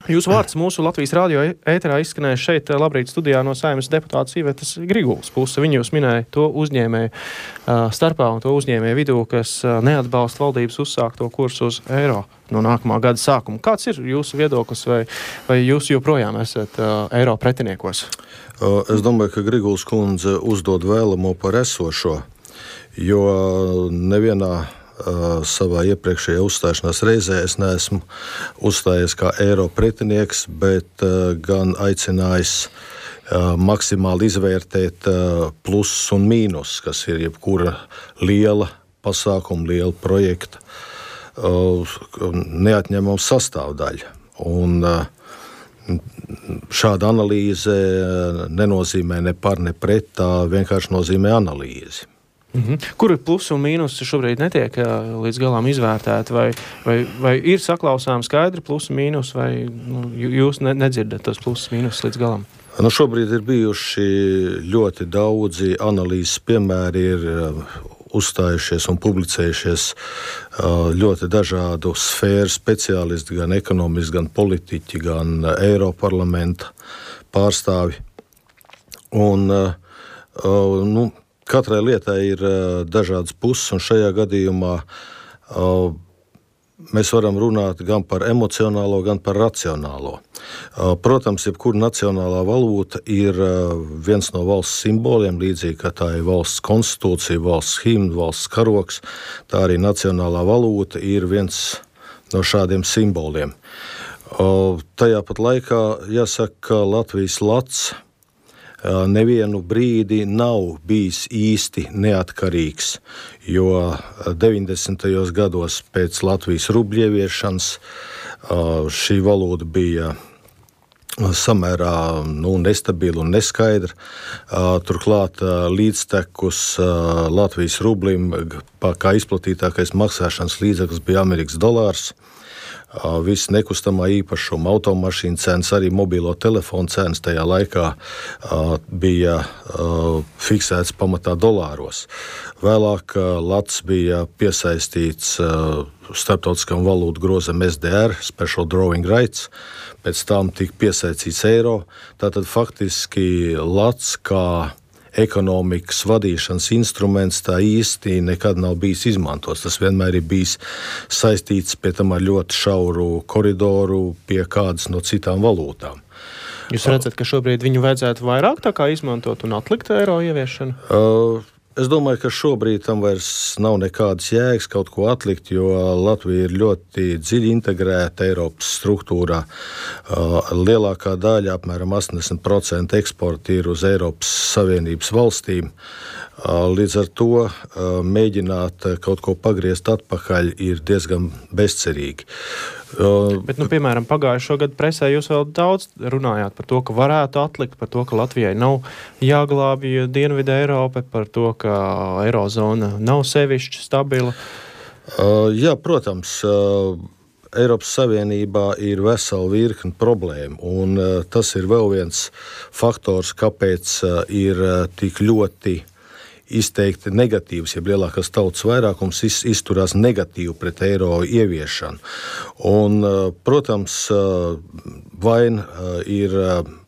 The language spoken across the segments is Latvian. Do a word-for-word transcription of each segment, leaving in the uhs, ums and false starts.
Jūsu vārds mūsu Latvijas radio ēterā izskanēja šeit labrīt studijā no Saeimas deputātas Ivetas Grigulas puses. Viņa jūs minēja to uzņēmēju uh, starpā un to uzņēmēju vidū, kas uh, neatbalsta valdības uzsākto kursu uz eiro no nākamā gada sākuma. Kāds ir jūsu viedoklis vai, vai jūs joprojām esat uh, eiro pretiniekos? Uh, es domāju, ka Grigulas kundze uzdod vēlamo par esošo, jo nevienā Uh, savā iepriekšējā uzstāšanās reizē es neesmu uzstājies kā eiro pretinieks, bet uh, gan aicinājis uh, maksimāli izvērtēt uh, plusus un mīnus, kas ir jebkura liela pasākuma, liela projekta uh, neatņemama sastāvdaļa. Un uh, šāda analīze nenozīmē ne par, ne pret, tā vienkārši nozīmē analīzi. Mhm. Kur ir plusi un mīnus šobrīd netiek uh, līdz galām izvērtēti, vai, vai, vai ir saklausām skaidri plusi mīnus, vai nu, jūs ne, nedzirdat tos plusus mīnus līdz galam? Nu, šobrīd ir bijuši ļoti daudzi analīzes piemēri, ir uh, uzstājušies un publicējušies uh, ļoti dažādu sfēru speciālisti, gan ekonomisti, gan politiķi, gan uh, Eiroparlamenta pārstāvi. Un, uh, uh, nu, Katrai lietai ir uh, dažādas puses, un šajā gadījumā uh, mēs varam runāt gan par emocionālo, gan par racionālo. Uh, protams, jebkura nacionālā valūta ir uh, viens no valsts simboliem, līdzīgi kā tā ir valsts konstitūcija, valsts himna, valsts karoks. Tā arī nacionālā valūta ir viens no šādiem simboliem. Uh, tajā pat laikā jāsaka, ka Latvijas lats nevienu brīdi nav bijis īsti neatkarīgs, jo deviņdesmitajos gados pēc Latvijas rubļa ieviešanas šī valūta bija samērā nu, nestabila un neskaidra. Turklāt līdztekus Latvijas rublim, kā izplatītākais maksāšanas līdzeklis bija Amerikas dolārs. Viss nekustamā īpašuma, automašīna cenas, arī mobilo telefonu cenas tajā laikā uh, bija uh, fiksēts pamatā dolāros. Vēlāk uh, lats bija piesaistīts uh, starptautiskam valūtu grozam S D R, Special Drawing Rights, pēc tam tika piesaistīts eiro. Tātad faktiski lats kā ekonomikas vadīšanas instruments tā īsti nekad nav bijis izmantots. Tas vienmēr ir bijis saistīts pie tam ar ļoti šauru koridoru pie kādas no citām valūtām. Jūs redzat, ka šobrīd viņu vajadzētu vairāk tā kā izmantot un atlikt eiro ieviešanu? Uh, Es domāju, ka šobrīd tam vairs nav nekādas jēgas kaut ko atlikt, jo Latvija ir ļoti dziļi integrēta Eiropas struktūrā. Lielākā daļa, apmēram astoņdesmit procenti eksporta ir uz Eiropas Savienības valstīm. Līdz ar to mēģināt kaut ko pagriezt atpakaļ ir diezgan bezcerīgi. Bet, nu, piemēram, pagājušo gadu presē jūs vēl daudz runājāt par to, ka varētu atlikt, par to, ka Latvijai nav jāglābj Dienvidu Eiropa, par to, ka eirozona nav sevišķi stabila. Uh, jā, protams, uh, Eiropas Savienībā ir vesela virkne problēmu, un uh, tas ir vēl viens faktors, kāpēc uh, ir uh, tik ļoti izteikti negatīvs, ja lielākās tautas vairākums iz, izturās negatīvi pret eiro ieviešanu. Un, protams, vaina ir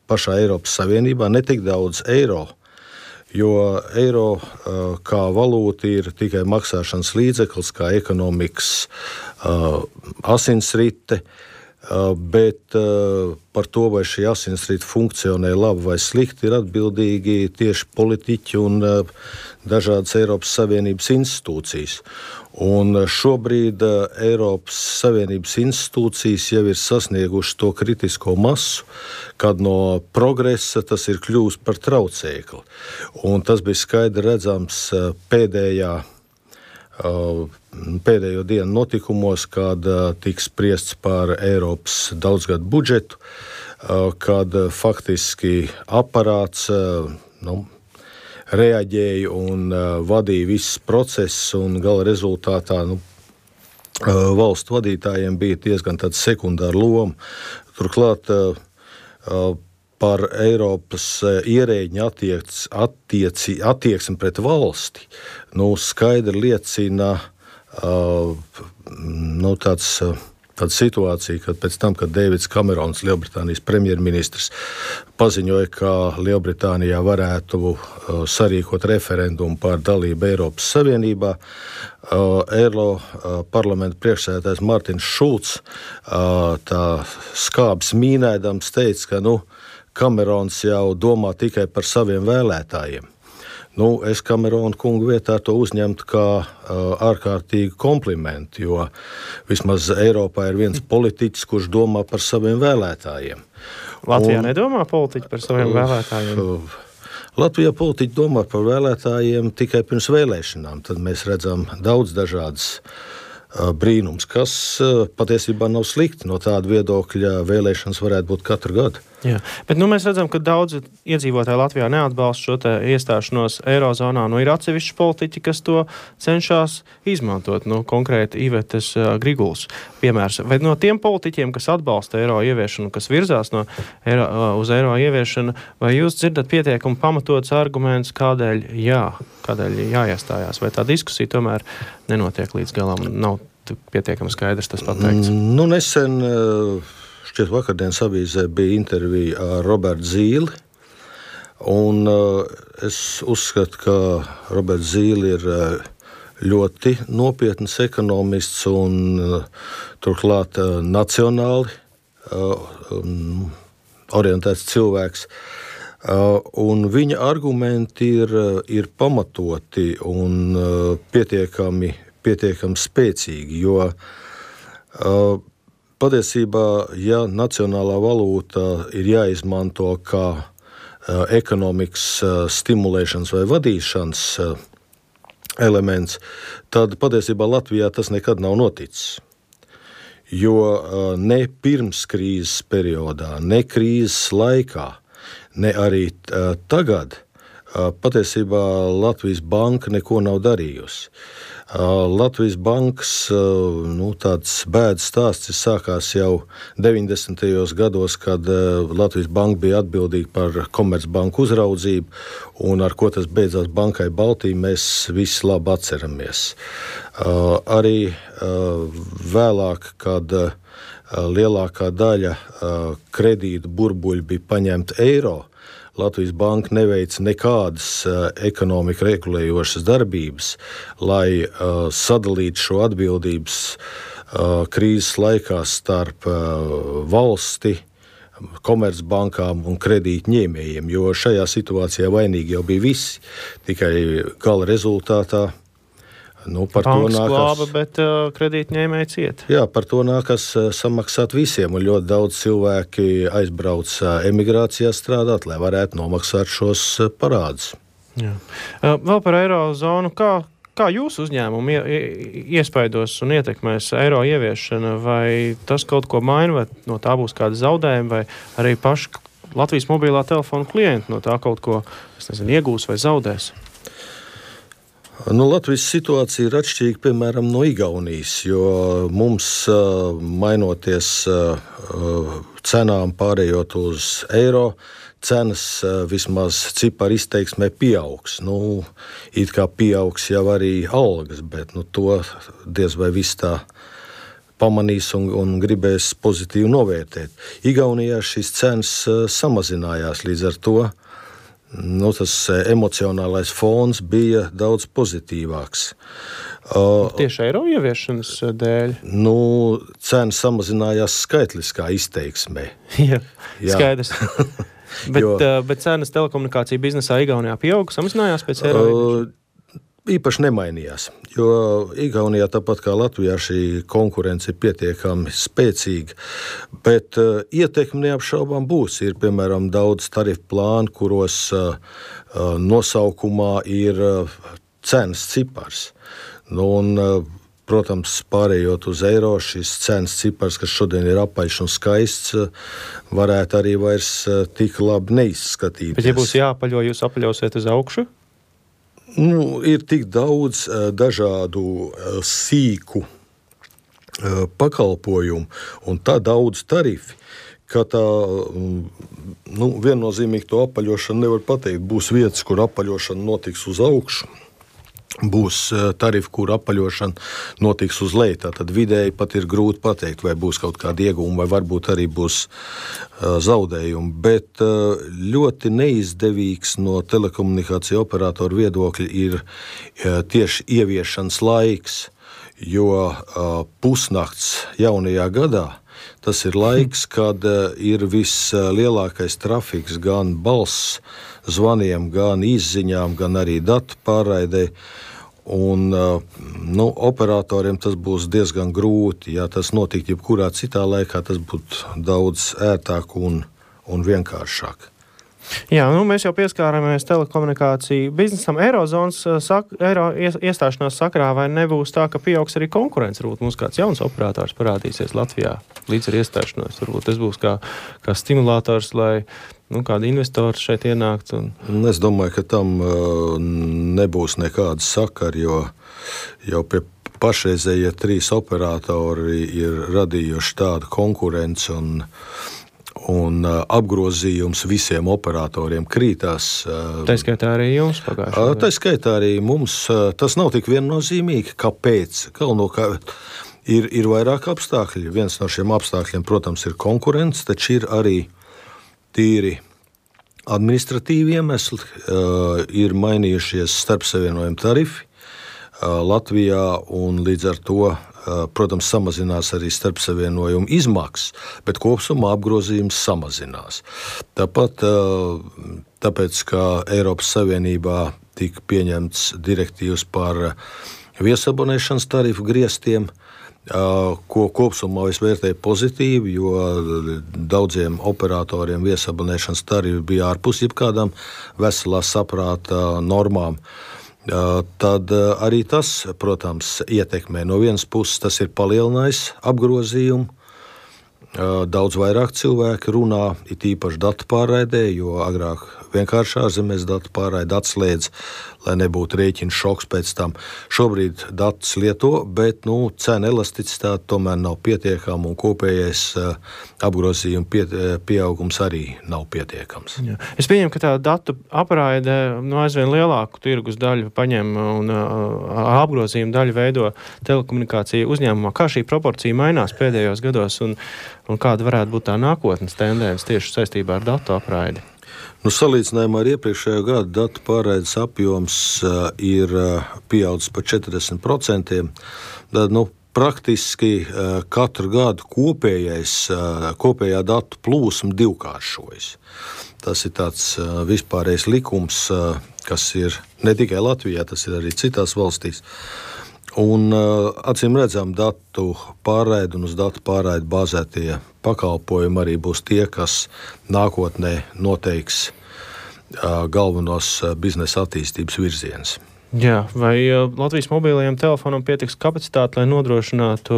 pašā Eiropas Savienībā ne tik daudz eiro, jo eiro kā valūta ir tikai maksāšanas līdzeklis, kā ekonomikas asinsrite, bet par to, vai šī asinsrite funkcionē labi vai slikti, ir atbildīgi tieši politiķi un dažādas Eiropas Savienības institūcijas. Un šobrīd Eiropas Savienības institūcijas jau ir sasnieguši to kritisko masu, kad no progresa tas ir kļūst par traucēkli. Un tas bija skaidri redzams pēdējā pēdējo dienu notikumos, kad tiks spriests par Eiropas daudzgadu budžetu, kad faktiski aparāts nu, reaģēja un vadīja visus procesus, un gala rezultātā nu, valstu vadītājiem bija diezgan tāda sekundāra loma. Turklāt par Eiropas ierēģiņu attiec, attieci, attieksmi pret valsti nu, skaidri liecina uh, nu, tāds uh, tāda situācija, kad pēc tam, kad Deivids Kamerons, Lielbritānijas premjerministrs, paziņoja, ka Lielbritānijā varētu uh, sarīkot referendumu par dalību Eiropas Savienībā, uh, Eiro uh, parlamenta priekšsēdētājs Martins Šulcs uh, tā skābs mīnēdams teica, ka nu, Kamerons jau domā tikai par saviem vēlētājiem. Nu, es Kamerona kungu vietā to uzņemtu kā uh, ārkārtīgu komplimentu, jo vismaz Eiropā ir viens politiķis, kurš domā par saviem vēlētājiem. Latvijā Un, nedomā politiķi par saviem uh, vēlētājiem? Uh, Latvijā politiķi domā par vēlētājiem tikai pirms vēlēšanām. Tad mēs redzam daudz dažādas uh, brīnums, kas uh, patiesībā nav slikti. No tāda viedokļa vēlēšanas varētu būt katru gadu. Jā, bet nu, mēs redzam, ka daudzi iedzīvotāji Latvijā neatbalsta šo te iestāšanos Eirozonā. Nu, ir atsevišķi politiķi, kas to cenšas izmantot. Nu, konkrēti Ivetes uh, Griguls piemērs. Vai no tiem politiķiem, kas atbalsta eiro ieviešanu, kas virzās no eiro, uh, uz eiro ieviešanu, vai jūs dzirdat pietiekami pamatots arguments, kādēļ jā, kādēļ jāiestājās? Vai tā diskusija tomēr nenotiek līdz galam? Nav pietiekami skaidrs tas pateikts. Nu, nesen... Uh... Šķiet, vakardienas avīzē bija intervija ar Robertu Zīli, un uh, es uzskatu, ka Roberts Zīli ir uh, ļoti nopietns ekonomists un uh, turklāt uh, nacionāli uh, um, orientēts cilvēks. Uh, un viņa argumenti ir, uh, ir pamatoti un uh, pietiekami, pietiekami spēcīgi, jo uh, patiesībā, ja nacionālā valūta ir jāizmanto kā uh, ekonomikas uh, stimulēšanas vai vadīšanas uh, elements, tad patiesībā Latvijā tas nekad nav noticis. Jo uh, ne pirms krīzes periodā, ne krīzes laikā, ne arī uh, tagad uh, patiesībā Latvijas banka neko nav darījusi. Latvijas bankas nu, tāds bēdas stāsts sākās jau deviņdesmitajos gados, kad Latvijas banka bija atbildīga par Komercbanku uzraudzību, un ar ko tas beidzās Bankai Baltija, mēs visi labi atceramies. Arī vēlāk, kad lielākā daļa kredītu burbuļu bija paņemta eiro, Latvijas banka neveica nekādas uh, ekonomika regulējošas darbības, lai uh, sadalītu šo atbildības uh, krīzes laikā starp uh, valsti, komercbankām un kredītņēmējiem, jo šajā situācijā vainīgi jau bija visi, tikai gala rezultātā. Nu, par Banks to nākas, glāba, bet uh, kredītņēmēji ciet. Jā, par to nākas uh, samaksāt visiem, un ļoti daudz cilvēki aizbrauc uh, emigrācijā strādāt, lai varētu nomaksāt šos uh, parādus. Jā. Uh, vēl par eirozonu, kā, kā jūsu uzņēmumu ie, iespaidos un ietekmēs eiro ieviešana, vai tas kaut ko maina, vai no tā būs kāda zaudējuma, vai arī paši Latvijas mobilā telefona klienti no tā kaut ko, es nezinu, iegūs vai zaudēs? Nu, Latvijas situācija ir atšķirīga, piemēram, no Igaunijas, jo mums, mainoties cenām pārējot uz eiro, cenas vismaz cipari izteiksmē pieaugs. Nu, it kā pieaugs jau arī algas, bet nu, to diez vai viss tā pamanīs un, un gribēs pozitīvi novērtēt. Igaunijā šīs cenas samazinājās, līdz ar to Nu, tas emocionālais fons bija daudz pozitīvāks. Tieši eiro ieviešanas dēļ? Nu, cena samazinājās skaitliskā izteiksmē. Jā, Jā. Skaidrs. bet, jo, bet cenas telekomunikāciju biznesā Igaunijā pieauga, samazinājās pēc eiro ieviešanas? Īpaši nemainījās, jo Igaunijā, tāpat kā Latvijā, šī konkurence ir pietiekami spēcīga, bet uh, ietekme neapšaubām būs. Ir, piemēram, daudz tarifu plānu, kuros uh, uh, nosaukumā ir uh, cenas cipars. Nu, un, uh, protams, pārējot uz eiro, šis cenas cipars, kas šodien ir apaļš un skaists, uh, varētu arī vairs uh, tik labi neizskatīties. Bet, ja būs jāapaļo, jūs apaļosiet uz augšu? Nu, ir tik daudz uh, dažādu uh, sīku uh, pakalpojumu un tā daudz tarifi, ka tā um, nu, viennozīmīgi to apaļošanu nevar pateikt. Būs vietas, kur apaļošana notiks uz augšu, būs tarifi, kur apaļošana notiks uz leju. Tad vidēji pat ir grūti pateikt, vai būs kaut kāda iegūma, vai varbūt arī būs zaudējumi. Bet ļoti neizdevīgs no telekomunikāciju operatoru viedokļa ir tieši ieviešanas laiks, jo pusnakts jaunajā gadā tas ir laiks, kad ir vislielākais trafiks gan balss zvaniem, gan izziņām, gan arī datu pārraidei. Un, nu, operatoriem tas būs diezgan grūti. Ja tas notiktu jebkurā citā laikā, tas būtu daudz ērtāk un, un vienkāršāk. Jā, nu, mēs jau pieskārāmies telekomunikāciju biznesam. Eirozonas sak, eiro iestāšanās sakarā, vai nebūs tā, ka pieaugs arī konkurence? Varbūt mums kāds jauns operators parādīsies Latvijā līdz ar iestāšanos. Varbūt tas būs kā, kā stimulators, lai nu, kādi investori šeit ienākt. Un... Es domāju, ka tam nebūs nekāda sakara, jo jau pie pašreizējie trīs operatori ir radījuši tādu konkurenci un un uh, apgrozījums visiem operatoriem krītās. Uh, tā skaitā arī jums pagājušajā gadā? Tā skaitā arī mums. Uh, tas nav tik viennozīmīgi. Kāpēc? Galvenokārt ir, ir vairāk apstākļi. Viens no šiem apstākļiem, protams, ir konkurence, taču ir arī tīri administratīvi iemesli. Uh, ir mainījušies starpsavienojumu tarifi uh, Latvijā un līdz ar to protams, samazinās arī starpsavienojumu izmaksas, bet kopsumā apgrozījums samazinās. Tāpat, tāpēc, ka Eiropas Savienībā tika pieņemts direktīvas par viesabonēšanas tarifu griestiem, ko kopsumā es vērtēju pozitīvi, jo daudziem operatoriem viesabonēšanas tarifi bija ārpus jebkādām veselā saprāta normām. Tad arī tas, protams, ietekmē. No vienas puses tas ir palielinājis apgrozījumu. Daudz vairāk cilvēki runā, it īpaši datu pārraidē, jo agrāk vienkārši ārzemēs datu pārraidi atslēdz, lai nebūtu rēķina šoks pēc tam. Šobrīd datus lieto, bet nu, cena elasticitāte tomēr nav pietiekama un kopējais uh, apgrozījuma pie, pieaugums arī nav pietiekams. Jā. Es pieņemu, ka tā datu aprāide nu, aizvien lielāku tirgus daļu paņem un uh, apgrozījuma daļu veido telekomunikāciju uzņēmumā. Kā šī proporcija mainās pēdējos gados un, un kāda varētu būt tā nākotnes tendence tieši saistībā ar datu aprāidi? Nu, salīdzinājumā ar iepriekšējo gadu datu pārraides apjoms uh, ir uh, pieaudzis par četrdesmit procentiem. Tad, nu, praktiski uh, katru gadu kopējais, uh, kopējā datu plūsma divkāršojas. Tas ir tāds uh, vispārējais likums, uh, kas ir ne tikai Latvijā, tas ir arī citās valstīs. Un uh, acīm redzam, datu pārraide un uz datu pārraidi bāzētie pakalpojumi arī būs tie, kas nākotnē noteiks uh, galvenos uh, biznesa attīstības virzienus. Jā, vai uh, Latvijas mobilajiem telefonam pietiks kapacitāte, lai nodrošinātu,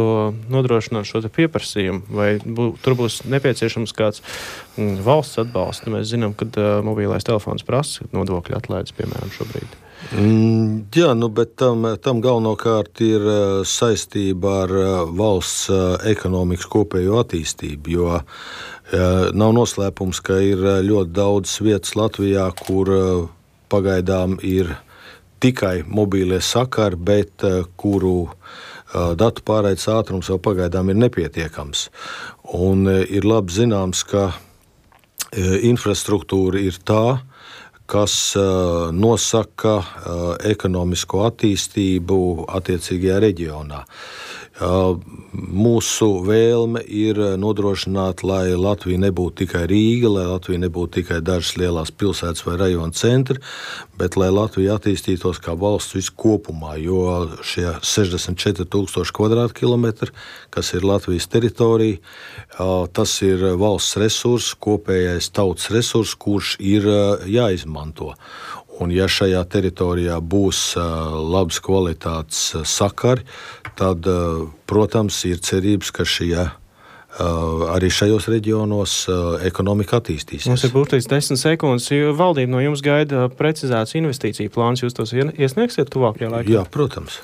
nodrošinātu šo te pieprasījumu? Vai bū, tur būs nepieciešams kāds mm, valsts atbalsts? Mēs zinām, ka uh, mobilais telefons prasa nodokļu atlaides, piemēram, šobrīd. Mm, jā, nu, bet tam, tam galvenokārt ir uh, saistība ar uh, valsts uh, ekonomikas kopējo attīstību, jo uh, nav noslēpums, ka ir uh, ļoti daudz vietas Latvijā, kur uh, pagaidām ir tikai mobīlie sakari, bet uh, kuru uh, datu pārraides ātrums vēl pagaidām ir nepietiekams. Un uh, ir labi zināms, ka uh, infrastruktūra ir tā, kas uh, nosaka uh, ekonomisko attīstību attiecīgajā reģionā. Uh, mūsu vēlme ir nodrošināt, lai Latvija nebūtu tikai Rīga, lai Latvija nebūtu tikai dažas lielās pilsētas vai rajona centri, bet lai Latvija attīstītos kā valsts viskopumā, jo šie sešdesmit četri tūkstoši kvadrātkilometri, kas ir Latvijas teritorija, uh, tas ir valsts resurs, kopējais tautas resurs, kurš ir uh, jāizmanto. Un ja šajā teritorijā būs uh, labas kvalitātes uh, sakari, tad, uh, protams, ir cerības, ka šie, uh, arī šajos reģionos uh, ekonomika attīstīsies. Mums ir burtiski desmit sekundes. Valdība no jums gaida precizēts investīciju plāns. Jūs tos iesniegsiet tuvākajā laikā? Jā, protams.